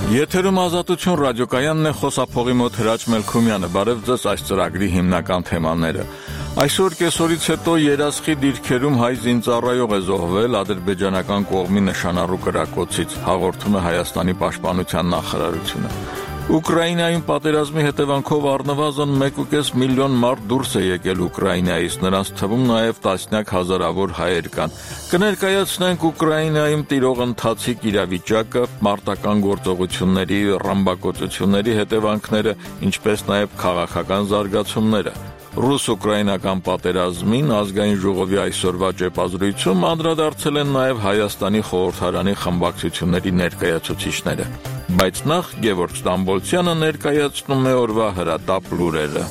Եթերում ազատություն ռադիոկայանն է, խոսափողի մոտ Հրաչ Մելքումյանը։ Բարև ձեզ, այս ծրագրի հիմնական թեմաները։ Այսօր կեսօրից հետո երասխի դիրքերում հայ զինծառայող է զոհվել ադրբեջանական կողմի նշանառու կրակոցից, հաղորդում է Հայաստանի պաշտպանության նախարարությունը։ Ուկրաինայում պատերազմի հետևանքով առնվազն 1.5 միլիոն մարդ դուրս է եկել Ուկրաինայից, նրանց թվում նաև տասնյակ հազարավոր հայեր կան։ Կներկայացնենք Ուկրաինայում տիրող ընթացիկ իրավիճակը, մարտական գործողությունների, ռմբակոծությունների հետևանքները, ինչպես նաև քաղաքական զարգացումները։ Ռուս-ուկրաինական պատերազմին ազգային ժողովի այսօրվա ճեպազրույցում անդրադարձել են նաև Հայաստանի խորհրդարանի խմբակցությունների ներկայացուցիչները։ Բայց նախ Գևորգ Ստամբոլցյանը ներկայացնում է օրվա հրատապ լուրերը։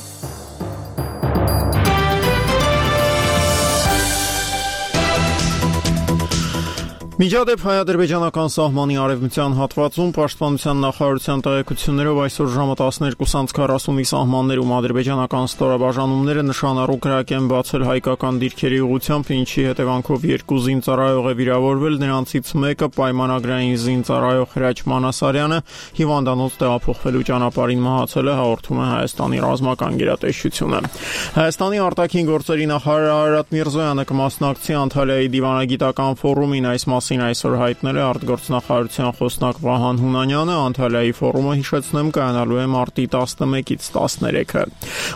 Միջադեպ հայ-ադրբեջանական սահմանի արևմտյան հատվածում պաշտպանության նախարարության տեղեկություններով այսօր ժամը 12:40-ի սահմաններում ադրբեջանական ստորաբաժանումները նշանառու կրակ են բացել հայկական դիրքերի ուղղությամբ, ինչի հետևանքով 2 զինծառայող է վիրավորվել, նրանցից մեկը պայմանագրային զինծառայող Հրաչ Մանասարյանը հիվանդանոց տեղափոխվելու ճանապարհին մահացել է, հաղորդում է Հայաստանի ռազմական գերատեսչությունը։ Հայաստանի արտաքին գործերի նախարար Արարատ Միրզոյանը կմասնակցի Անտալիայի դիվանագիտական ֆորումին, այս այսօր հայտնել է արտգործնախարարության խոսնակ Վահան Հունանյանը։ Անտալիայի ֆորումը, հիշեցնեմ, կայանալու է մարտի 11-ից 13-ը։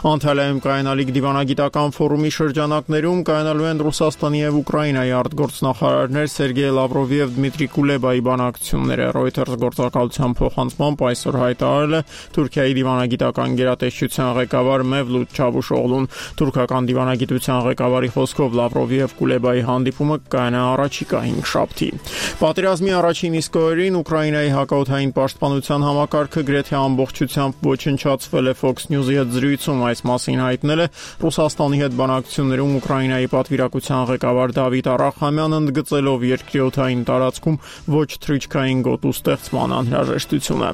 Անտալիայում կայանալիք դիվանագիտական ֆորումի շրջանակներում կայանալու են Ռուսաստանի եւ Ուկրաինայի արտգործնախարարներ Սերգեյ Լավրովի եւ Դմիտրի Կուլեբայի բանակցությունները։ Reuters գործակալության փոխանցմամբ այսօր հայտարարել է Թուրքիայի դիվանագիտական գերատեսչության ղեկավար Մևլութ Չավուշօղլուն։ Թուրքական դիվանագիտության ղեկավարի խոսքով Լավրովի եւ Կուլեբայի հանդիպումը կայանա առաջիկա 5 շաբթի։ Պատերազմի առաջին իսկ օրերին Ուկրաինայի հակաօդային պաշտպանության համակարգը գրեթե ամբողջությամբ ոչնչացվել է Fox News-ի հետ զրույցում, այս մասին հայտնել է Ռուսաստանի հետ բանակցություններում Ուկրաինայի պատվիրակության ղեկավար Դավիթ Արախամյանը, ընդգծելով երկրի օդային տարածքում ոչ թռիչքային գոտու ստեղծման անհրաժեշտությունը։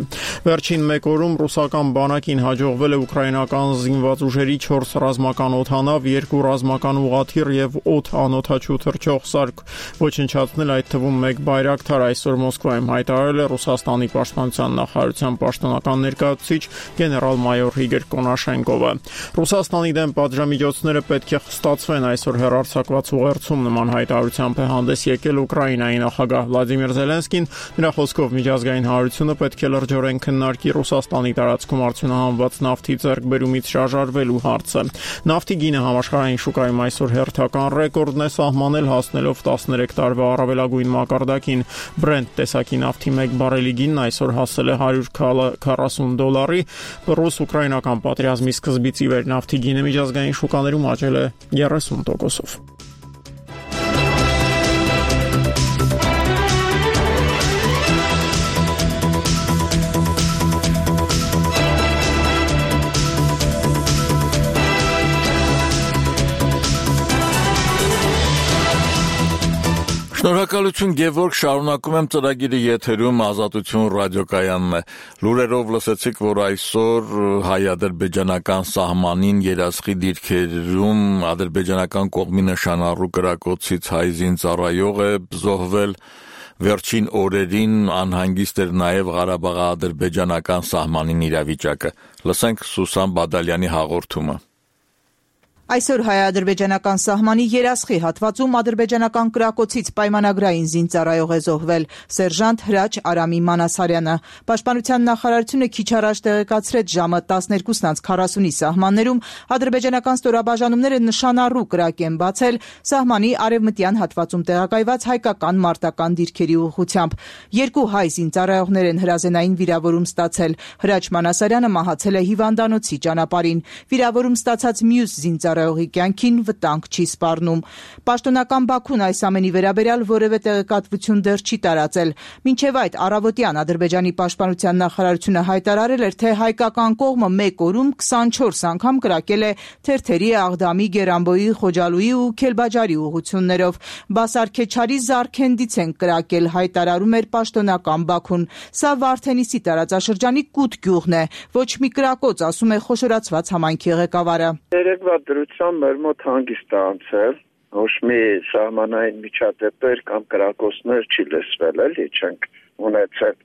Վերջին 1 օրում ռուսական բանակին հաջողվել է ուկրաինական զինված ուժերի 4 ռազմական օդանավ, 2 ռազմական ուղղաթիռ եւ 8 անօդաչու թռչող սարք ոչնչացնել, այդ թվում 1 բայրակթար, այսօր Մոսկվայում հայտարարել է Ռուսաստանի պաշտպանության նախարարության պաշտոնական ներկայացուցիչ գեներալ-մայոր Իգոր Կոնաշենկովը։ Ռուսաստանի դեմ պատժամիջոցները պետք է խստացվեն, այսօր հեռարձակված ուղերձում նման հայտարարությամբ է հանդես եկել Ուկրաինայի նախագահ Վլադիմիր Զելենսկին։ Նրա խոսքով միջազգային հանրությունը պետք է լրջորեն քննարկի Ռուսաստանի տարածքում արդյունահանված նավթի ձեռքբերումից շարժարվելու հարցը։ Նավթի գինը համաշխարհային շուկայում այսօր հերթական ռեկորդն է սահմանել, հասնելով 13 տարվա առավելագույն մակարդակին։ Brent տեսակի նավթի 1 բարելի գինն այսօր հասել է $140։ Ռուս-ուկրաինական պատերազմի սկզբից ի վեր նավթի գինը միջազգային շուկաներում աճել է 30%-ով։ Շնորհակալություն Գևորգ, շարունակում եմ ծրագիրը եթերում ազատություն ռադիոկայանն է։ Լուրերով լսեցիք, որ այսօր հայ-ադրբեջանական սահմանին երասխի դիրքերում ադրբեջանական կողմի նշանառու կրակոցից հայ զինծառայող է զոհվել։ Վերջին օրերին անհանգիստ էր նաև Ղարաբաղ-ադրբեջանական սահմանին իրավիճակը։ Լսենք Սուսան Բադալյանի հաղորդումը։ Այսօր հայ-ադրբեջանական սահմանի երասխի հատվածում ադրբեջանական կրակոցից պայմանագրային զինծառայող է զոհվել սերժանտ Հրաչ Արամի Մանասարյանը։ Պաշտպանության նախարարությունը քիչ առաջ տեղեկացրեց ժամը 12:40-ի սահմաններում ադրբեջանական ստորաբաժանումները նշանառու կրակ են բացել սահմանի արևմտյան հատվածում տեղակայված հայկական մարտական դիրքերի ուղղությամբ։ 2 հայ զինծառայողներ են հրազենային վիրավորում ստացել։ Հրաչ Մանասարյանը մահացել է հիվանդանոցի ճանապարհին։ Վիրավորում ստացած մյուս զինծառայողի կյանքին վտանգ չի սպառնում։ Պաշտոնական Բաքուն այս ամենի վերաբերյալ որևէ տեղեկատվություն դեռ չի տարածել։ Մինչև այդ առավոտյան Ադրբեջանի պաշտպանության նախարարությունը հայտարարել էր, թե հայկական կողմը 1 օրում 24 անգամ կրակել է Թերթերի, Աղդամի, Գերանբոյի, Խոջալույի ու Քելբաջարի ուղղություններով։ Բասարքեչարի Զարքենդից են կրակել, հայտարարում էր պաշտոնական Բաքուն։ Սա Վարդենիսի տարածաշրջանի Կուտ գյուղն է։ Ոչ մի կրակոց, ասում է խոշորացված համայնքի ղեկավարը։ Երեկվա դրությամբ մեր մոտ հանգիստ է անցել, ոչ մի սահմանային միջադեպեր կամ կրակոցներ չի լսվել, էլի չենք ունեցել։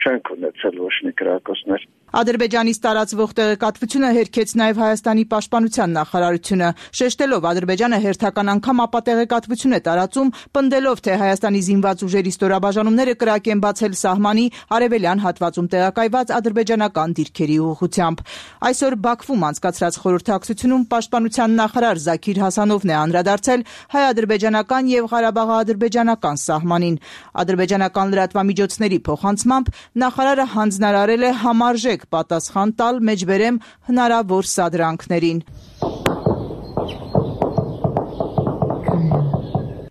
չենք ունեցել ոչ մի կրակոցներ։ Ադրբեջանից տարածվող տեղեկատվությունը հերքեց նաև Հայաստանի պաշտպանության նախարարությունը, շեշտելով Ադրբեջանը հերթական անգամ ապատեղեկատվություն է տարածում, պնդելով, թե Հայաստանի զինված ուժերի ստորաբաժանումները կրակ են բացել սահմանի արևելյան հատվածում տեղակայված ադրբեջանական դիրքերի ուղղությամբ։ Այսօր Բաքվում անցկացրած խորհրդակցությունում պաշտպանության նախարար Զաքիր Հասանովն է անդրադարձել հայ-ադրբեջանական եւ ղարաբաղ-ադրբեջանական սահմանին։ Ադրբեջանական լրատվամիջոցների փոխանցմամբ նախարարը հանձնարարել է համարժեք պատասխան տալ մեջբերեմ հնարավոր սադրանքներին։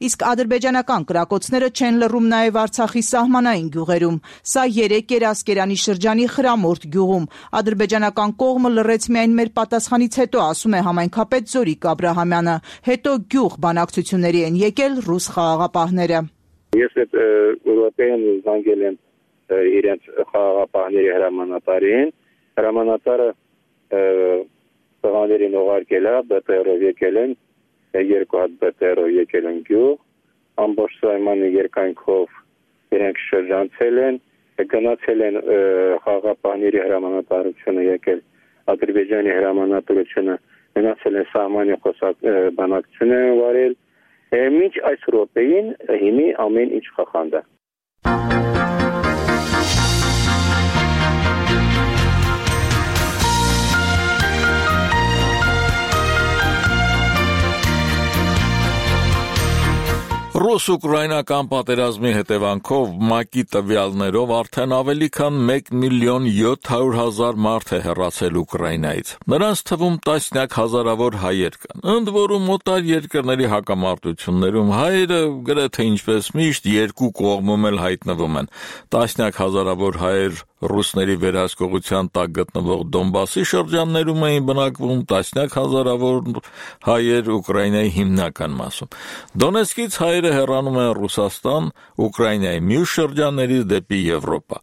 Իսկ ադրբեջանական կրակոցները չեն լռում նաև Արցախի սահմանային գյուղերում։ Սա 3 Երասկերանի շրջանի Խրամորդ գյուղում։ Ադրբեջանական կողմը լռեց միայն մեր պատասխանից հետո, ասում է համայնքապետ Զորիկ Աբրահամյանը։ Հետո գյուղ բանակցությունների են եկել ռուս խաղաղապահները։ Ես այդ ուղղակիորեն զանգել եմ իրենց խաղաղապահների հրամանատարին։ Հրամանատարը տղաներին ուղարկել է, ԲՏՌ-ով եկել են, 2 հատ ԲՏՌ-ով եկել են գյուղ, ամբողջ սահմանի երկայնքով իրենք շրջանցել են, գնացել են խաղաղապահների հրամանատարությունը եկել, Ադրբեջանի հրամանատարությունը գնացել են սահմանի բանակցություն են վարել, մինչ այս րոպեին հիմի ամեն ինչ խախանդ է։ Ռուս-ուկրաինական պատերազմի հետևանքով ՄԱԿ-ի տվյալներով արդեն ավելի քան 1,700,000 մարդ է հեռացել Ուկրաինայից։ Նրանց թվում տասնյակ հազարավոր հայեր կան։ Ընդ որում օտար երկրների հակամարտություններում հայերը գրեթե ինչպես միշտ երկու կողմում էլ հայտնվում են։ Տասնյակ հազարավոր հայեր ռուսների վերահսկողության տակ գտնվող Դոնբասի շրջաններում էին բնակվում, տասնյակ հազարավոր հայեր Ուկրաինայի հիմնական մասում։ Դոնեցկից հայերը հեռանում են Ռուսաստան, Ուկրաինայի մյուս շրջաններից դեպի Եվրոպա։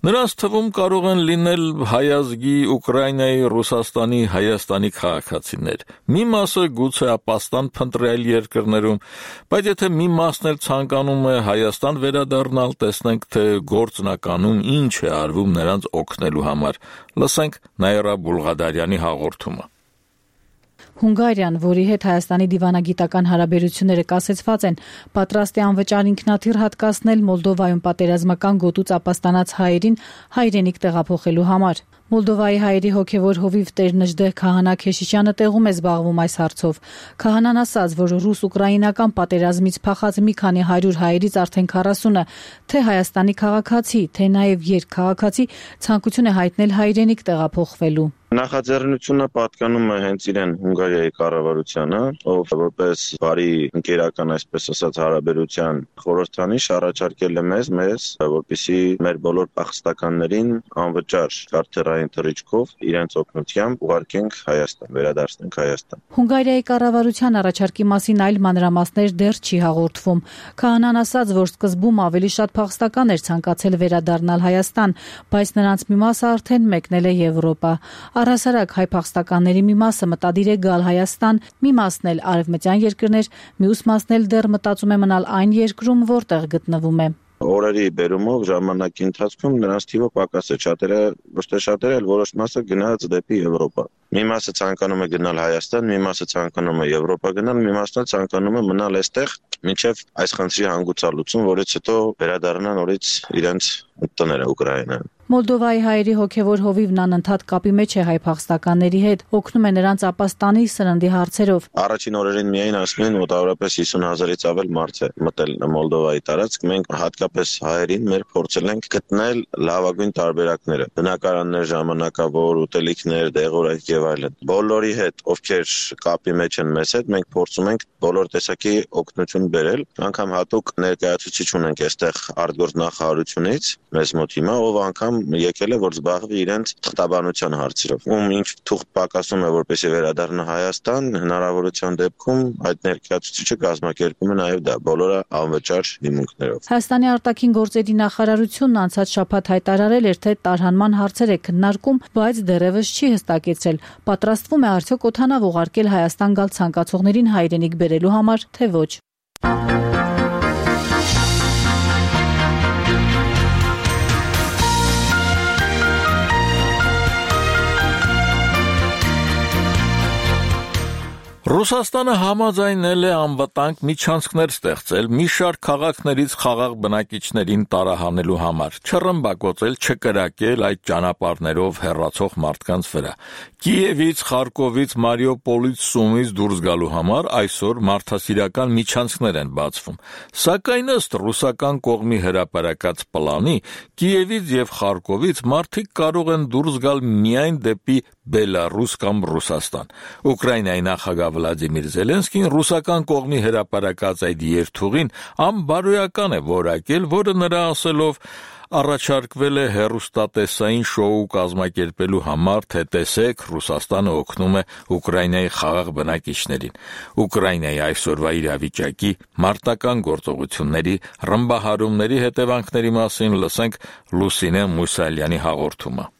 Նրանց թվում կարող են լինել հայազգի Ուկրաինայի, Ռուսաստանի, Հայաստանի քաղաքացիներ։ Մի մասը գուցե ապաստան փնտրել երկրներում, բայց եթե մի մասն էլ ցանկանում է Հայաստան վերադառնալ, տեսնենք, թե գործնականում ինչ է արվում նրանց օգնելու համար։ Լսենք Նաիրա Բուլղադարյանի հաղորդումը։ Հունգարիան, որի հետ Հայաստանի դիվանագիտական հարաբերությունները կասեցված են, պատրաստ է անվճար ինքնաթիռ հատկացնել Մոլդովայում պատերազմական գոտուց ապաստանած հայերին հայրենիք տեղափոխելու համար։ Մոլդովայի հայերի հոգևոր հովիվ Տեր Նժդեհ Քահանա Քեշիշյանը տեղում է զբաղվում այս հարցով։ Քահանան ասաց, որ ռուս-ուկրաինական պատերազմից փախած մի քանի 100 հայերից արդեն 40-ը թե Հայաստանի քաղաքացի, թե նաև երկքաղաքացի ցանկություն է հայտնել հայրենիք տեղափոխվելու։ Նախաձեռնությունը պատկանում է հենց իրեն Հունգարիայի կառավարությանը, ով որպես բարի ընկերական, այսպես ասած, հարաբերության խորհրդանիշ առաջարկել է մեզ, որպեսզի մեր բոլոր փախստականներին անվճար քարտերային թռիչքով իրենց օգնությամբ ուղարկենք Հայաստան, վերադարձնենք Հայաստան։ Հունգարիայի կառավարության առաջարկի մասին այլ մանրամասներ դեռ չի հաղորդվում։ Քահանան ասաց, որ սկզբում ավելի շատ փախստական էր ցանկացել վերադառնալ Հայաստան, բայց նրանց մի մասը արդեն մեկնել է Եվրոպա։ Առհասարակ հայ փախստականների մի մասը մտադիր է գալ Հայաստան, մի մասն էլ արևմտյան երկրներ, մյուս մասն էլ դեռ մտածում է մնալ այն երկրում, որտեղ գտնվում է։ Օրերի բերումով ժամանակի ընթացքում նրանց թիվը պակաս է, շատերը, որոշ մասը գնաց դեպի Եվրոպա։ Մի մասը ցանկանում է գնալ Հայաստան, մի մասը ցանկանում է Եվրոպա գնալ, մի մասն էլ ցանկանում է մնալ այստեղ, մինչև այս խնդրի հանգուցալուծում, որից հետո վերադառնան նորից իրենց տները Ուկրաինայում։ Մոլդովայի հայերի հոգևոր հովիվն անընդհատ կապի մեջ է հայ փախստականների հետ, օգնում է նրանց ապաստանի սննդի հարցերով։ Առաջին օրերին միայն ասում են մոտավորապես 50,000-ից ավել մարդ է մտել Մոլդովայի տարածք։ Մենք հատկապես հայերին մեր փորձել ենք գտնել լավագույն տարբերակները՝ բնակարաններ, ժամանակավոր ուտելիքներ, դեղորայք եւ այլն։ Բոլորի հետ, ովքեր կապի մեջ են մեզ հետ, մենք փորձում ենք բոլոր տեսակի օգնություն բերել։ Անգամ հատուկ ներկայացուցիչ ունենք այստեղ արտգործնախարարությունից մեզ մոտ հիմա, ով անգամ եկել է, որ զբաղվի իրենց թղթաբանության հարցերով։ Ում ինչ թուղթ պակասում է, որպեսզի վերադառնա Հայաստան, հնարավորության դեպքում այդ ներկայացուցիչը կազմակերպում է նաև դա, բոլորը անվճար հիմունքներով։ Հայաստանի արտաքին գործերի նախարարությունն անցած շաբաթ հայտարարել էր, թե տարհանման հարցեր է քննարկում, բայց դեռևս չի հստակեցրել, պատրաստվում է արդյոք օդանավ ուղարկել Հայաստան գալ ցանկացողներին հայրենիք բերելու համար, թե ոչ։ Ռուսաստանը համաձայնել է անվտանգ միջանցքներ ստեղծել մի շարք քաղաքներից խաղաղ բնակիչներին տարահանելու համար, չռմբակոծել, չկրակել այդ ճանապարհներով հեռացող մարդկանց վրա։ Կիևից, Խարկովից, Մարիուպոլից, Սումից դուրս գալու համար այսօր մարդասիրական միջանցքներ են բացվում։ Սակայն ըստ ռուսական կողմի հրապարակած պլանի, Կիևից եւ Խարկովից մարդիկ կարող են դուրս գալ միայն դեպի Բելարուս կամ Ռուսաստան։ Ուկրաինայի նախագահ Վլադիմիր Զելենսկին ռուսական կողմի հրապարակած այդ երթուղին անբարոյական է որակել, որը նրա ասելով առաջարկվել է հեռուստատեսային շոու կազմակերպելու համար, թե տեսեք, Ռուսաստանը օգնում է Ուկրաինայի խաղաղ բնակիչներին։ Ուկրաինայի այսօրվա իրավիճակի մարտական գործողությունների ռմբահարումների հետևանքների մասին լսենք Լուսինե Մուսալյանի հաղորդումը։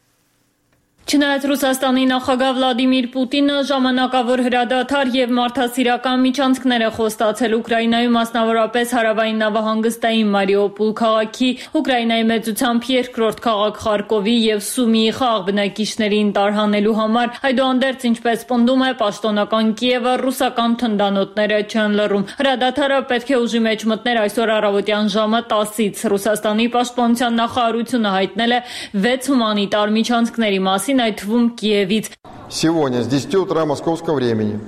Չնայած Ռուսաստանի նախագահ Վլադիմիր Պուտինը ժամանակավոր հրադադար եւ մարդասիրական միջանցքներ է խոստացել Ուկրաինայում, մասնավորապես հարավային նավահանգստային Մարիուպոլ քաղաքի, Ուկրաինայի մեծությամբ երկրորդ քաղաք Խարկովի եւ Սումիի խաղաղ բնակիչներին տարհանելու համար, այդուհանդերձ, ինչպես պնդում է պաշտոնական Կիևը, ռուսական թնդանոթները չեն լռում։ Հրադադարը պետք է ուժի մեջ մտներ այսօր առավոտյան ժամը 10-ից։ Ռուսաստանի պաշտպանության նախարարությունը հայտնել է 6 հումանիտար միջանցքների մասին, այդ թվում Կիևից։ Сегодня с 10 утра московского времени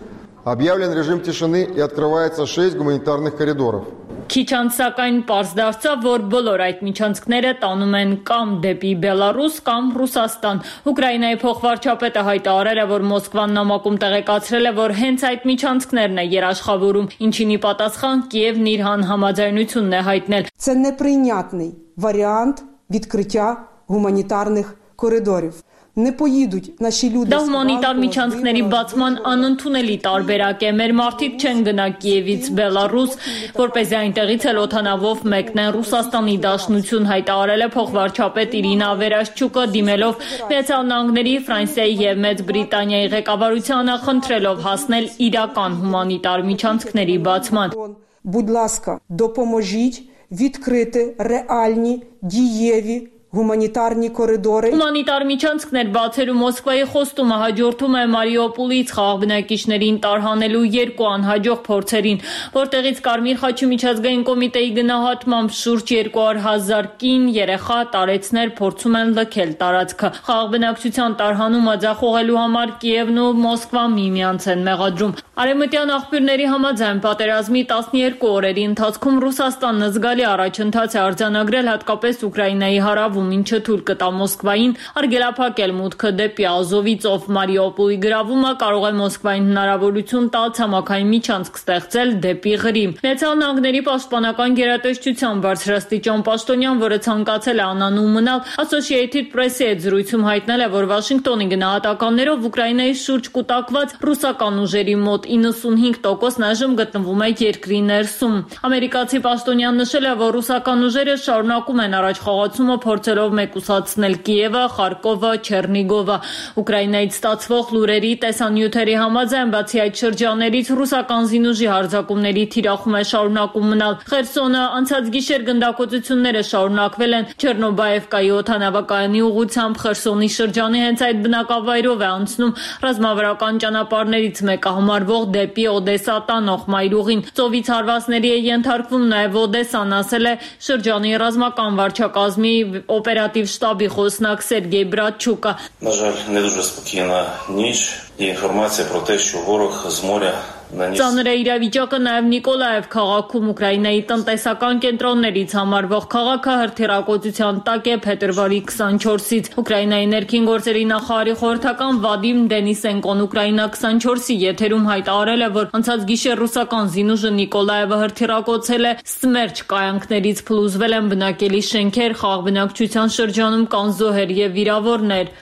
объявлен режим тишины и открывается 6 гуманитарных коридоров. Քիչ անց սակայն պարզ դարձավ, որ բոլոր այդ միջանցքները տանում են կամ դեպի Բելարուս, կամ Ռուսաստան։ Ուկրաինայի փոխվարչապետը հայտարարել է, որ Մոսկվան նամակում տեղեկացրել է, որ հենց այդ միջանցքներն է երաշխավորում, ինչին ի պատասխան Կիևն իր համաձայնությունն է հայտնել։ Це неприйнятний варіант відкриття гуманітарних коридорів. Դա հումանիտար միջանցքների բացման անընդունելի տարբերակ է։ Մեր մարդիկ չեն գնա Կիևից Բելարուս, որպեսզի այնտեղից էլ օդանավով մեկնեն Ռուսաստանի Դաշնություն, հայտարարել է փոխվարչապետ Իրինա Վերաշչուկը, դիմելով Միացյալ Նահանգների, Ֆրանսիայի եւ Մեծ Բրիտանիայի ղեկավարությանը, խնդրելով հասնել իրական հումանիտար միջանցքների բացման։ Будь ласка, допоможіть відкрити реальні дієві Հումանիտարնի կորիդորը Հումանիտար միջանցքներ բացելու Մոսկվայի խոստումը հաջորդում է Մարիուպոլից խաղաղ բնակիչներին տարհանելու երկու անհաջող փորձերին, որտեղից Կարմիր խաչի միջազգային կոմիտեի գնահատմամբ շուրջ 200,000 կին, երեխա, տարեցներ փորձում են լքել տարածքը։ Խաղաղ բնակչության տարհանումը ձախողելու համար Կիևն ու Մոսկվան միմյանց են մեղադրում։ Արևմտյան աղբյուրների համաձայն պատերազմի 12 օրերի ընթացքում Ռուսաստանն զգալի առաջընթաց է արձանագրել հատկապես Ուկրաինայի հարավում, ինչը թույլ կտա Մոսկվային արգելափակել մուտքը դեպի Ազովի ծով։ Մարիուպոլի գրավումը կարող է Մոսկվային հնարավորություն տալ ցամաքային միջանցք ստեղծել դեպի Ղրիմ։ Միացյալ Նահանգների պաշտպանական գերատեսչության բարձրաստիճան պաշտոնյան, որը ցանկացել է անանուն մնալ, Associated Press-ի հետ զրույցում հայտնել է, որ Վաշինգտոնի գնահատականներով Ուկրաինայի շուրջ կուտակված ռուսական ուժերի մոտ 95% այժմ գտնվում է երկրի ներսում։ Ամերիկացի պաշտոնյան նշել է, որ ռուսական ուժերը շարունակում են առաջխաղացումը փորձելով մեկուսացնել Կիևը, Խարկովը, Չեռնիգովը։ Ուկրաինայից ստացվող լուրերի տեսանյութերի համաձայն, բացի այդ շրջաններից ռուսական զինուժի հարձակումների թիրախում է շարունակում մնալ Խերսոնը, անցած գիշեր գնդակոծությունները շարունակվել են Չեռնոբաևկայի օդանավակայանի ուղղությամբ Խերսոնի շրջանի հենց այդ բնակավայրով է անցնում ռազմավարական ճանապարհներից մեկը համարվող դեպի Օդեսա տանող մայրուղին։ Ծովից հարվածների է ենթարկվում նաև Օդեսան, ասել է շրջանի ռազմական վարչակազմի օպերատիվ շտաբի խոսնակ Սերգեյ Բրատչուկը։ На жаль, не дуже спокійна ніч. Є інформація про те, що ворог з моря Ծանր է իրավիճակը նաև Նիկոլաև քաղաքում, Ուկրաինայի տնտեսական կենտրոններից համարվող քաղաքը հրթիռակոծության տակ է փետրվարի 24-ից։ Ուկրաինայի ներքին գործերի նախարարի խորհրդական Վադիմ Դենիսենկոն Ուկրաինա 24-ի եթերում հայտարարել է, որ անցած գիշեր ռուսական զինուժը Նիկոլաևը հրթիռակոծել է Սմերչ կայանքներից փլուզվել են բնակելի շենքեր, խաղաղ բնակչության շրջանում կան զոհեր եւ վիրավորներ։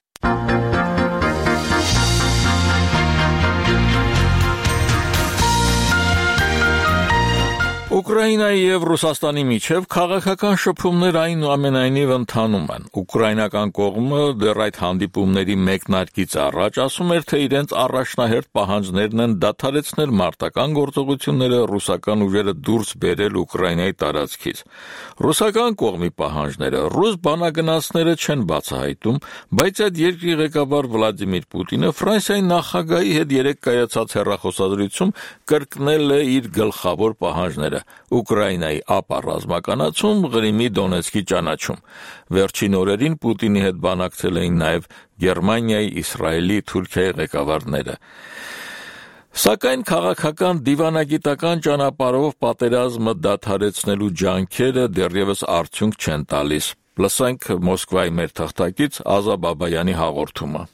Ուկրաինայի եւ Ռուսաստանի միջև քաղաքական շփումներ այնուամենայնիվ ընթանում են։ Ուկրաինական կողմը դեռ այդ հանդիպումների մեկնարկից առաջ ասում էր, թե իրենց առաջնահերթ պահանջներն են դադարեցնել մարտական գործողությունները, ռուսական ուժերը դուրս բերել Ուկրաինայի տարածքից։ Ռուսական կողմի պահանջները ռուս բանագնացները չեն բացահայտում, բայց այդ երկրի ղեկավար Վլադիմիր Պուտինը Ֆրանսիայի նախագահի հետ երեկ կայացած հեռախոսազրույցում կրկնել է իր գլխավոր պահանջները՝ Ուկրաինայի ապառազմականացում, Ղրիմի Դոնեցկի ճանաչում։ Վերջին օրերին Պուտինի հետ բանակցել էին նաև Գերմանիայի, Իսրայելի, Թուրքիայի ղեկավարները։ Սակայն քաղաքական դիվանագիտական ճանապարհով պատերազմը դադարեցնելու ջանքերը դեռևս արդյունք չեն տալիս։ Լսենք Մոսկվայի մեր թղթակից Ազա Բաբայանի հաղորդումը։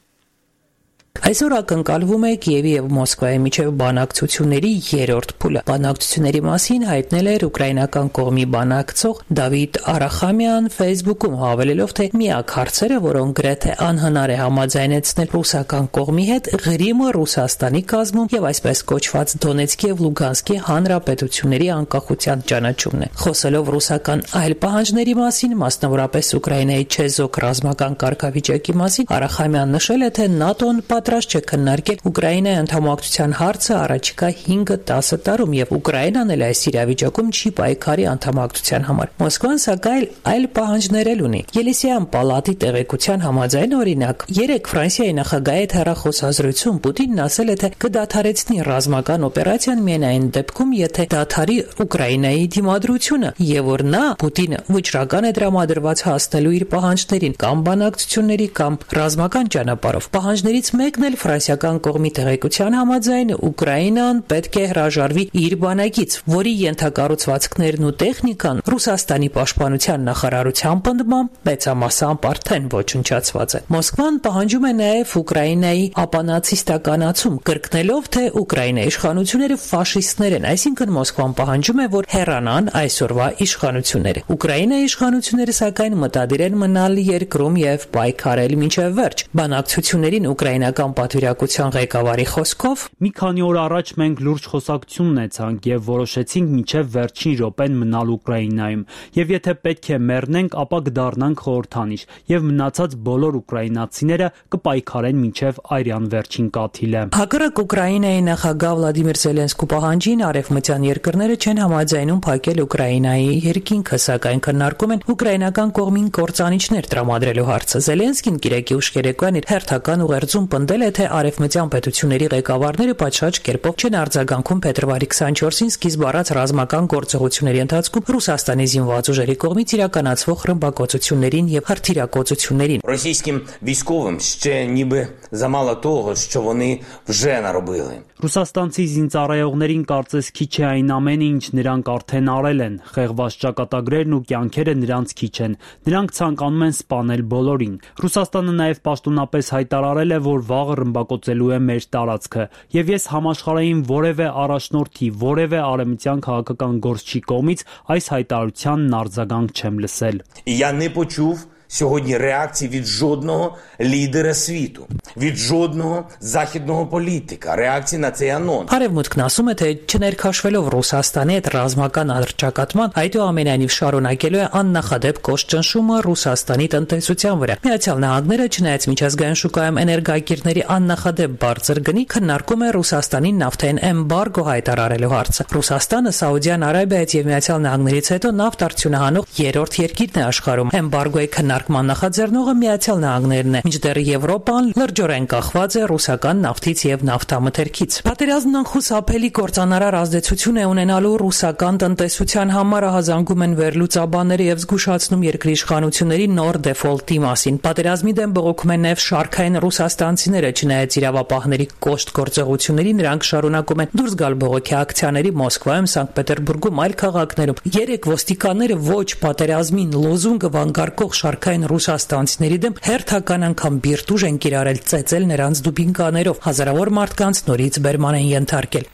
Այսօր ակնկալվում է Կիևի եւ Մոսկվայի միջև բանակցությունների երրորդ փուլը։ Բանակցությունների մասին հայտնել էր ուկրաինական կողմի բանակցող Դավիթ Արախամյան Facebook-ում, հավելելով, թե միակ հարցերը, որոնք գրեթե անհնար է համաձայնեցնել ռուսական կողմի հետ, Ղրիմը Ռուսաստանի կազմում եւ այսպես կոչված Դոնեցկի եւ Լուգանսկի հանրապետությունների անկախության ճանաչումն է։ Խոսելով ռուսական այլ պահանջների մասին, մասնավորապես Ուկրաինայի չեզոք ռազմական կարգավիճակի մասին, Արախամյան նշել է, թե ՆԱՏՕ-ն պատրաստ չէ քննարկել Ուկրաինայի անդամակցության հարցը առաջիկա 5-10 տարում եւ Ուկրաինան էլ այս իրավիճակում չի պայքարի անդամակցության համար։ Մոսկվան սակայն այլ պահանջներ ունի։ Ելիսեյան պալատի տեղեկության համաձայն, օրինակ, երեք Ֆրանսիայի նախագահի հետ հեռախոսազրույցում Պուտինն ասել է, թե կդադարեցնի ռազմական օպերացիան միայն այն դեպքում, եթե դադարի Ուկրաինայի դիմադրությունը եւ որ նա Պուտինը վճռական է դրամադրված հասնելու իր պահանջներին կամ բանակցությունների կամ ռազմական ճանապարհով։ Պահանջներից մեկն էլ ֆրանսիական կողմի տեղեկության համաձայն Ուկրաինան պետք է հրաժարվի իր բանակից, որի ենթակառուցվածքներն ու տեխնիկան Ռուսաստանի պաշտպանության նախարարության պնդմամբ մեծամասամբ արդեն ոչնչացված են։ Մոսկվան պահանջում է նաև Ուկրաինայի ապանացիստականացում, կրկնելով, թե Ուկրաինայի իշխանությունները ֆաշիստներ են, այսինքն Մոսկվան պահանջում է, որ հեռանան այսօրվա իշխանությունները։ Ուկրաինայի իշխանությունները սակայն մտադիր են մնալ երկրում եւ պայքարել մինչեւ վերջ։ Բանակցություններին ուկրաինական պատվիրակության ղեկավարի խոսքով մի քանի օր առաջ մենք լուրջ խոսակցություն ունեցանք եւ որոշեցինք մինչեւ վերջին րոպեն մնալ Ուկրաինայում եւ եթե պետք է մեռնենք, ապա կդառնանք խորհրդանիշ եւ մնացած բոլոր ուկրաինացիները կպայքարեն մինչեւ արյան վերջին կաթիլը։ Հակառակ Ուկրաինայի նախագահ Վլադիմիր Զելենսկու պահանջին արևմտյան երկրները չեն համաձայնում փակել Ուկրաինայի երկինքը, սակայն քննարկում են ուկրաինական կողմին կործանիչներ տրամադրելու հարցը։ Զելենսկին կիրակի ուշ երեկոյան իր հերթական ուղերձում պնդել է, թե արևմտյան պետությունների ղեկավարները պատշաճ կերպով չեն արձագանքում փետրվարի 24-ին սկիզբ առած ռազմական գործողությունների ընթացքում Ռուսաստանի զինված ուժերի կողմից իրականացվող ռմբակոծություններին եւ հրթիռակոծություններին։ Російським військовим ще ніби замало того, що вони вже наробили. Ռուսաստանցի զինծառայողներին կարծես քիչ է այն ամենը, ինչ նրանք արդեն արել են։ Խեղված ճակատագրերն ու կյանքերը նրանց քիչ են։ Նրանք ցանկանում են սպանել բոլորին։ Ռուսաստանը նաև պաշտոնապես հայտարարել է, որ վաղը ռմբակոծելու է մեր տարածքը, եւ ես համաշխարհային որևէ առաջնորդի, որևէ արևմտյան քաղաքական գործչի կողմից այս հայտարարությանն արձագանք չեմ լսել։ Я не почув сьогодні реакції від жодного лідера світу, від жодного західного політика, реакції на цей анонс. Արևմուտքն ասում է, թե չներքաշվելով Ռուսաստանի հետ ռազմական առճակատման, այդուամենայնիվ շարունակելու է աննախադեպ կոշտ ճնշումը Ռուսաստանի տնտեսության վրա։ Միացյալ Նահանգները, չնայած միջազգային շուկայում էներգակիրների աննախադեպ բարձր գնի, քննարկում է Ռուսաստանին նավթային էմբարգո հայտարարելու հարցը։ Ռուսաստանը Սաուդյան Արաբիայից եւ Միացյալ Նահանգներից հետո նավթ արդյունահանող երրորդ երկիրն է աշխարհում։ Էմբարգոյի քննարկման նախաձեռնողը Միացյալ Նահանգներն է, մինչդեռ Եվրոպան լրջորեն կախված է ռուսական նավթից եւ նավթամթերքից։ Պատերազմն անխուսափելի կործանարար ազդեցություն է ունենալու ռուսական տնտեսության համար, ահազանգում են վերլուծաբանները եւ զգուշացնում երկրի իշխանությունների նոր դեֆոլտի մասին։ Պատերազմի դեմ բողոքում են նաեւ շարքային ռուսաստանցիները, չնայած իրավապահների կոշտ գործողությունների նրանք շարունակում են դուրս գալ բողոքի ակցիաների Մոսկվայում, Սանկտ Պետերբուրգում, այլ քաղաքներում։ Երեք ոստիկանները ոչ պատերազմին լոզունգը վանկարկող շարքային ռուսաստանցիների դեմ հերթական անգամ բիրտուժ են կիրառել, ծեծել նրանց դուբինկաներով, հազարավոր մարդկանց նորից բերման են ենթարկել։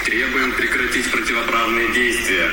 Требуем прекратить противоправные действия.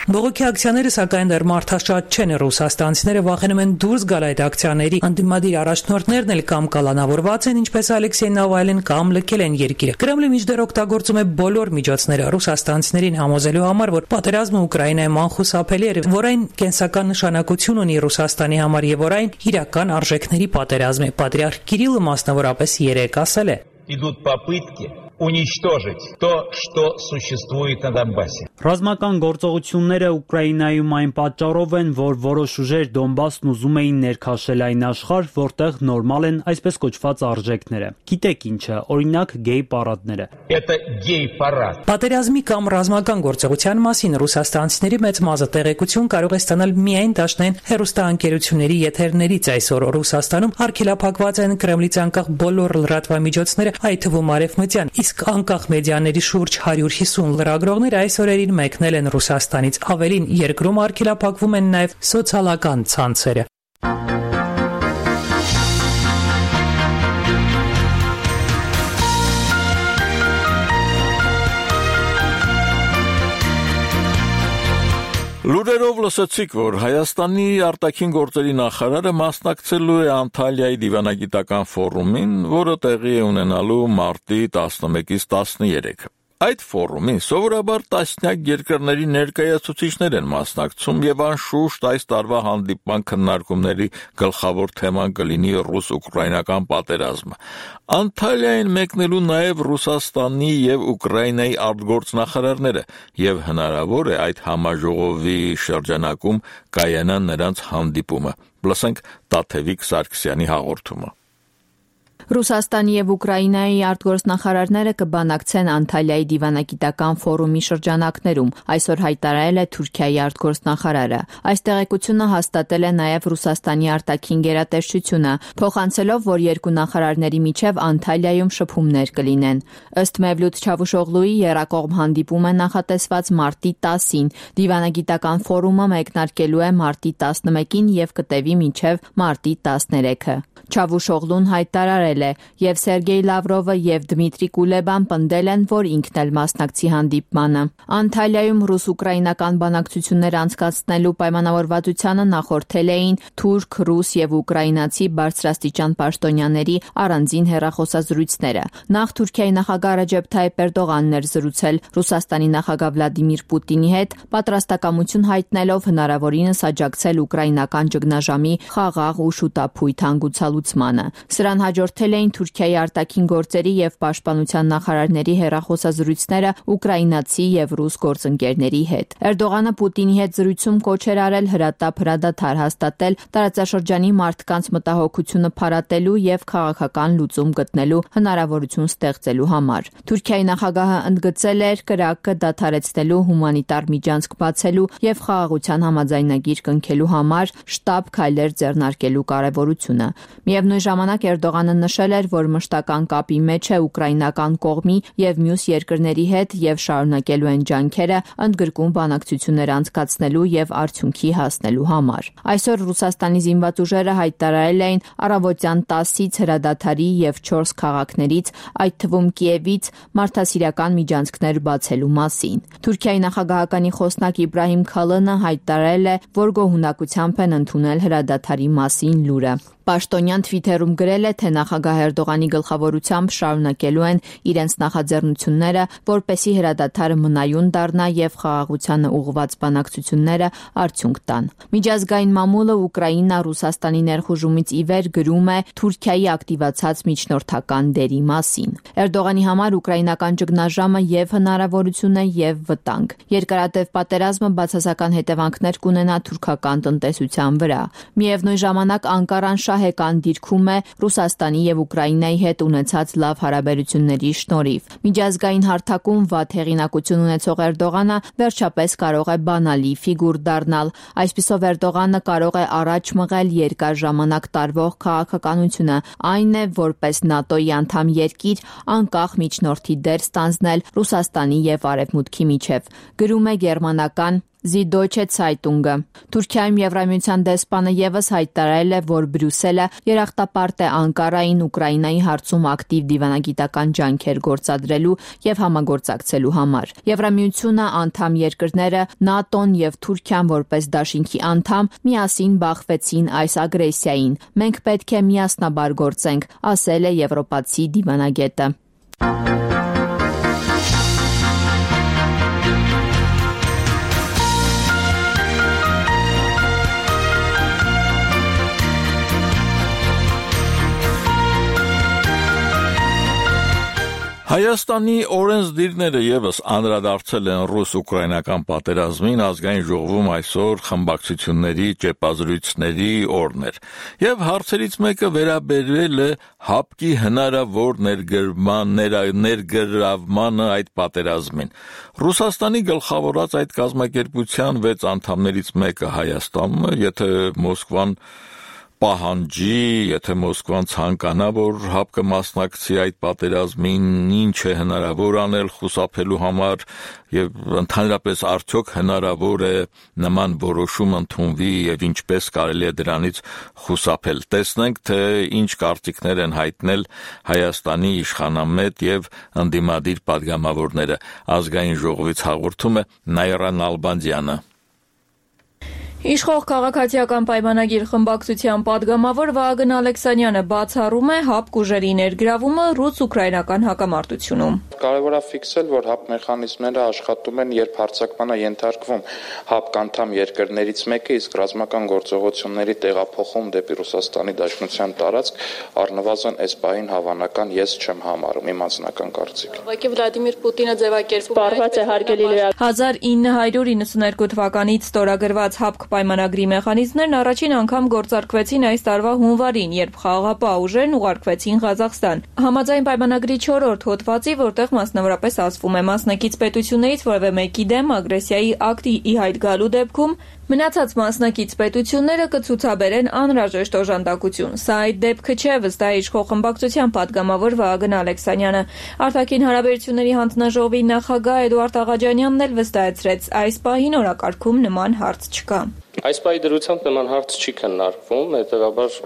Բողոքի ակցիաները սակայն դեռ մարդաշատ չեն, ռուսաստանցիները վախենում են դուրս գալ այդ ակցիաների, ընդդիմադիր առաջնորդներն էլ կամ կալանավորված են, ինչպես Ալեքսեյ Նավալին, կամ լքել են երկիրը։ Կրեմլը մինչդեռ օգտագործում է բոլոր միջոցները ռուսաստանցիներին համոզելու համար, որ պատերազմը Ուկրաինայում անխուսափելի է, որ այն կենսական նշանակություն ունի Ռուսաստանի համար եւ որ այն իրական արժեքների պատերազմ է։ Պատրիարք Կիրիլը մասնավորապես երեկ ասել է. Идут попытки уничтожить то, что существует на Донбассе. Ռազմական գործողությունները Ուկրաինայում այն պատճառով են, որ որոշ ուժեր Դոնբասն ուզում էին ներքաշել այն աշխարհ, որտեղ նորմալ են այսպես կոչված արժեքները։ Գիտեք ինչը, օրինակ գեյ պարադները։ Это гей-парад. Պատերազմի կամ ռազմական գործողության մասին ռուսաստանցիների մեծ մասը տեղեկություն կարող է ստանալ միայն դաշնային հեռուստաընկերությունների եթերներից։ Այսօր Ռուսաստանում արգելափակված են Կրեմլից անկախ բոլոր լրատվամիջոցները, այդ թվում արևմտյան, իսկ անկախ մեդիաների շուրջ 150 լրագրողներ այս օրերին մեկնել են Ռուսաստանից։ Ավելին, երկրում արգելափակվում են նաև սոցիալական ցանցերը։ Լուրերով լսեցիք, որ Հայաստանի արտաքին գործերի նախարարը մասնակցելու է Անտալիայի դիվանագիտական ֆորումին, որը տեղի է ունենալու մարտի 11-ից 13-ը։ Այդ ֆորումին սովորաբար տասնյակ երկրների ներկայացուցիչներ են մասնակցում եւ անշուշտ այս տարվա հանդիպման քննարկումների գլխավոր թեման կլինի ռուս-ուկրաինական պատերազմը։ Անտալիային մեկնելու նաեւ Ռուսաստանի եւ Ուկրաինայի արտգործնախարարները եւ հնարավոր է այդ համաժողովի շրջանակում կայանա նրանց հանդիպումը։ Լսենք Տաթևիկ Սարգսյանի հաղորդումը։ Ռուսաստանի եւ Ուկրաինայի արտգործնախարարները կբանակցեն Անտալիայի դիվանագիտական ֆորումի շրջանակներում, այսօր հայտարարել է Թուրքիայի արտգործնախարարը։ Այս տեղեկությունը հաստատել է նաեւ Ռուսաստանի արտաքին գերատեսչությունը, փոխանցելով, որ երկու նախարարների միջև Անտալիայում շփումներ կլինեն։ Ըստ Մևլութ Չավուշօղլուի եռակողմ հանդիպումը նախատեսված մարտի 10-ին, դիվանագիտական ֆորումը մեկնարկելու է մարտի 11-ին եւ կտևի մինչեւ մարտի 13-ը։ Չավուշօղլուն հայտարարել է, եւ Սերգեյ Լավրովը եւ Դմիտրի Կուլեբան պնդել են, որ ինքն էլ մասնակցի հանդիպմանը։ Անտալիայում ռուս-ուկրաինական բանակցություններ անցկացնելու պայմանավորվածությանը նախորդել էին թուրք, ռուս եւ ուկրաինացի բարձրաստիճան պաշտոնյաների առանձին հեռախոսազրույցները։ Նախ Թուրքիայի նախագահ Ռեջեփ Թայիփ Էրդողանն էր զրուցել Ռուսաստանի նախագահ Վլադիմիր Պուտինի հետ, պատրաստակամություն հայտնելով հնարավորինս աջակցել ուկրաինական ճգնաժամի խաղաղ ու շուտափույթ հանգուցալուծմանը։ Սրան հաջորդել էին Թուրքիայի արտաքին գործերի եւ պաշտպանության նախարարների հեռախոսազրույցները ուկրաինացի եւ ռուս գործընկերների հետ։ Էրդողանը Պուտինի հետ զրույցում կոչ էր արել հրատապ հրադադար հաստատել տարածաշրջանի մարդկանց մտահոգությունը փարատելու եւ քաղաքական լուծում գտնելու հնարավորություն ստեղծելու համար։ Թուրքիայի նախագահը ընդգծել էր կրակը դադարեցնելու, հումանիտար միջանցք բացելու եւ խաղաղության համաձայնագիր կնքելու համար շտապ քայլեր ձեռնարկելու կարեւորությունը։ Միևնույն ժամանակ Էրդողանը նշել էր, որ մշտական կապի մեջ է ուկրաինական կողմի եւ մյուս երկրների հետ եւ շարունակելու են ջանքերը ընդգրկուն բանակցություններ անցկացնելու եւ արդյունքի հասնելու համար։ Այսօր Ռուսաստանի զինված ուժերը հայտարարել էին առավոտյան 10-ից հրադադարի եւ 4 քաղաքներից, այդ թվում Կիևից, մարդասիրական միջանցքներ բացելու մասին։ Թուրքիայի նախագահականի խոսնակ Իբրահիմ Քալանը հայտարարել է, որ գոհունակությամբ են ընդունել հրադադարի մասին լուրը։ Պաշտոնյան Թվիթերում գրել է, թե նախագահ Էրդողանի գլխավորությամբ շարունակելու են իրենց նախաձեռնությունները, որպեսզի հրադադարը մնայուն դառնա եւ խաղաղությանը ուղղված բանակցությունները արդյունք տան։ Միջազգային մամուլը Ուկրաինա Ռուսաստանի ներխուժումից ի վեր գրում է Թուրքիայի ակտիվացած միջնորդական դերի մասին։ Էրդողանի համար ուկրաինական ճգնաժամը եւ հնարավորություն է եւ վտանգ։ Երկարատև պատերազմը բացասական հետևանքներ կունենա թուրքական տնտեսության վրա։ Միևնույն ժամանակ Անկարան շահեկան դիրքում է Ռուսաստանի եւ Ուկրաինայի հետ ունեցած լավ հարաբերությունների շնորհիվ։ Միջազգային հարթակում վատ հեղինակություն ունեցող Էրդողանը վերջապես կարող է բանալի ֆիգուր դառնալ։ Այսպիսով Էրդողանը կարող է առաջ մղել երկար ժամանակ տարվող քաղաքականությունը, այն է, որպես ՆԱՏՕ-ի անդամ երկիր անկախ միջնորդի դեր ստանձնել Ռուսաստանի եւ Արևմուտքի միջև։ Գրում է գերմանական Süddeutsche Zeitung-ը։ Թուրքիայում Եվրամիության դեսպանը եւս հայտարարել է, որ Բրյուսելը երախտապարտ է Անկարային Ուկրաինայի հարցում ակտիվ դիվանագիտական ջանքեր գործադրելու եւ համագործակցելու համար։ Եվրամիությունը, անդամ երկրները, ՆԱՏՕ-ն եւ Թուրքիան որպես դաշինքի անդամ միասին բախվեցին այս ագրեսիային։ Մենք պետք է միասնաբար գործենք, ասել է եվրոպացի դիվանագետը։ Հայաստանի օրենսդիրները եւս անդրադարձել են ռուս-ուկրաինական պատերազմին, ազգային ժողովում այսօր խմբակցությունների ճեպազրույցների օրն էր, եւ հարցերից մեկը վերաբերվել է ՀԱՊԿ-ի հնարավոր ներգրավմանը այդ պատերազմին։ Ռուսաստանի գլխավորած այդ կազմակերպության 6 անդամներից մեկը Հայաստանն է, եթե Մոսկվան պահանջի, եթե Մոսկվան ցանկանա, որ ՀԱՊԿ-ը մասնակցի այդ պատերազմին, ինչ է հնարավոր անել խուսափելու համար եւ ընդհանրապես արդյոք հնարավոր է նման որոշում ընդունվի եւ ինչպես կարելի է դրանից խուսափել։ Տեսնենք, թե ինչ կարծիքներ են հայտնել Հայաստանի իշխանամետ եւ ընդդիմադիր պատգամավորները։ Ազգային ժողովից հաղորդում է Նայրա Նալբանդյանը։ Իշխող քաղաքացիական պայմանագիր խմբակցության падգամավոր Վահագն Ալեքսանյանը բացառում է ՀԱՊԿ ուժերի ներգրավումը ռուս-ուկրաինական հակամարտությունում։ Կարևոր է ֆիքսել, որ ՀԱՊԿ մեխանիզմները աշխատում են, երբ հարձակմանը ենթարկվում ՀԱՊԿ անդամ երկրներից մեկը, իսկ ռազմական գործողությունների տեղափոխում դեպի Ռուսաստանի Դաշնության տարածք առնվազն այս պահին հավանական ես չեմ համարում, իմ անձնական կարծիք։ Ուղղակի Վլադիմիր Պուտինը ձևակերպված է հարգելի լրագրող։ 1992 թվականից ստորագրված ՀԱՊԿ պայմանագրի մեխանիզմներն առաջին անգամ գործարկվեցին այս տարվա հունվարին, երբ խաղաղապահ ուժերն ուղարկվեցին Ղազախստան։ Համաձայն պայմանագրի 4-րդ հոդվածի, որտեղ մասնավորապես ասվում է մասնակից պետություններից որևէ մեկի դեմ ագրեսիայի ակտի ի հայտ գալու դեպքում մնացած մասնակից պետությունները կցուցաբերեն անհրաժեշտ օժանդակություն։ Սա այդ դեպքը չէ, վստահ է իշխող խմբակցության падգամավոր Վահագն Ալեքսանյանը։ Արտաքին հարաբերությունների հանձնաժողովի նախագահ Էդուարդ Աղաջանյանն էլ վստահեցրեց, այս պահին օրակարգում նման հարց չկա։ Այս պահի դրությամբ նման հարց չի քննարկվում, հետևաբար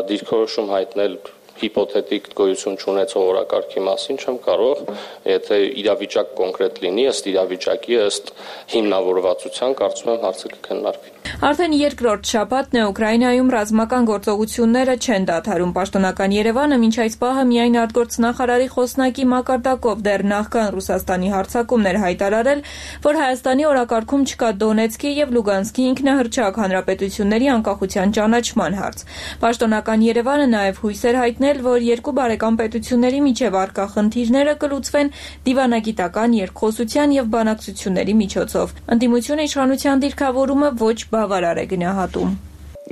դիրքորոշում հայտնել հիպոթետիկ գոյություն չունեցող օրակարգի մասին չեմ կարող, եթե իրավիճակ կոնկրետ լինի, ըստ իրավիճակի, ըստ հիմնավորվածության, կարծում եմ հարցը կքննարկվի։ Արդեն երկրորդ շաբաթն է Ուկրաինայում ռազմական գործողությունները չեն դադարում։ Պաշտոնական Երևանը մինչ այս պահը միայն արտգործնախարարի խոսնակի մակարդակով դեռ նախքան Ռուսաստանի հարձակումներ հայտարարել, որ Հայաստանի օրակարգում չկա Դոնեցկի եւ Լուգանսկի ինքնահռչակ հանրապետությունների անկախության ճանաչման հարց։ Պաշտոնական Երևանը նաեւ հույս էր հայտնել, որ երկու բարեկամ պետությունների միջև առկա խնդիրները կլուծվեն դիվանագիտական երկխոսության եւ բանակցությունների միջոցով։ Ընդդիմությունը իշխանության դիրքավորումը ոչ բավարար է գնահատում։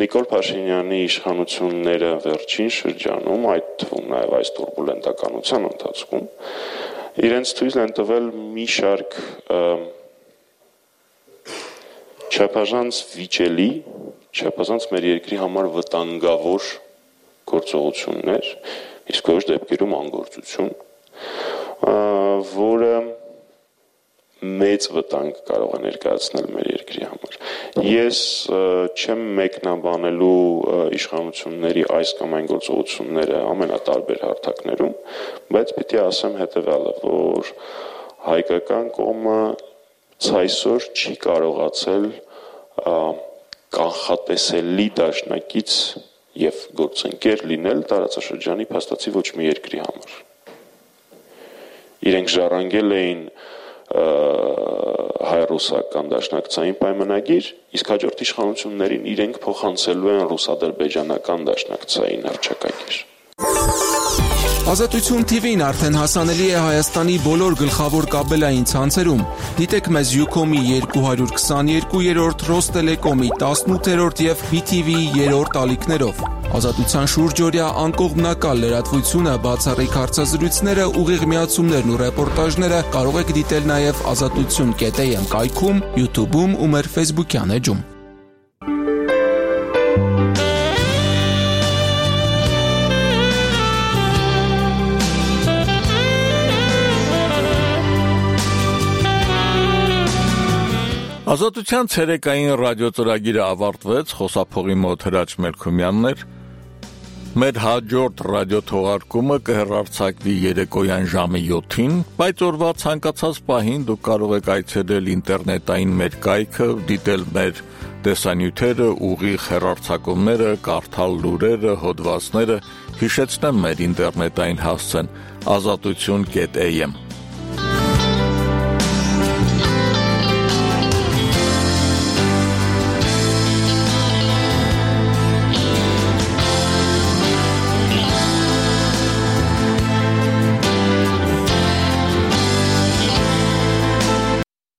Նիկոլ Փաշինյանի իշխանությունները վերջին շրջանում, այդ թվում նաև այս տուրբուլենտականության ընթացքում, իրենց թույլ են տվել մի շարք չափազանց վիճելի, չափազանց մեր երկրի համար վտանգավոր գործողություններ, իսկ ոչ դեպքերում անգործություն, որը մեծ վտանգ կարող է ներկայացնել մեր երկրի համար։ Ես չեմ մեկնաբանելու իշխանությունների այս կամ այն գործողությունները ամենատարբեր հարթակներում, բայց պիտի ասեմ հետևյալը, որ հայկական կողմը ցայսօր չի կարողացել կանխատեսելի դաշնակից եւ գործընկեր լինել տարածաշրջանի փաստացի ոչ մի երկրի համար։ Իրենք ժառանգել էին հայ-ռուսական դաշնակցային պայմանագիր, իսկ հաջորդ իշխանություններին իրենք փոխանցելու են ռուս-ադրբեջանական դաշնակցային հռչակագիր։ Ազատություն TV-ն արդեն հասանելի է Հայաստանի բոլոր գլխավոր կաբելային ցանցերում։ Դիտեք մեզ Ucom-ի 222-րդ, Ռոստելեկոմի 18-րդ եւ BTV-ի 3-րդ ալիքներով։ Ազատության շուրջօրյա անկողմնակալ լրատվությունը, բացառիկ հարցազրույցները, ուղիղ միացումներն ու ռեպորտաժները կարող եք դիտել նաեւ azatutsun.am կայքում, YouTube-ում ու մեր Facebook-յան էջում։ Ազատության ցերեկային ռադիոծրագիրը ավարտվեց, խոսափողի մոտ Հրաչ Մելքումյանն էր։ Մեր հաջորդ ռադիոթողարկումը կհեռարձակվի երեկոյան ժամը 7-ին, բայց օրվա ցանկացած պահին դուք կարող եք այցելել ինտերնետային մեր կայքը, դիտել մեր տեսանյութերը, ուղիղ հեռարձակումները, կարդալ լուրերը, հոդվածները, հիշեցնեմ մեր ինտերնետային հասցեն azatutun.am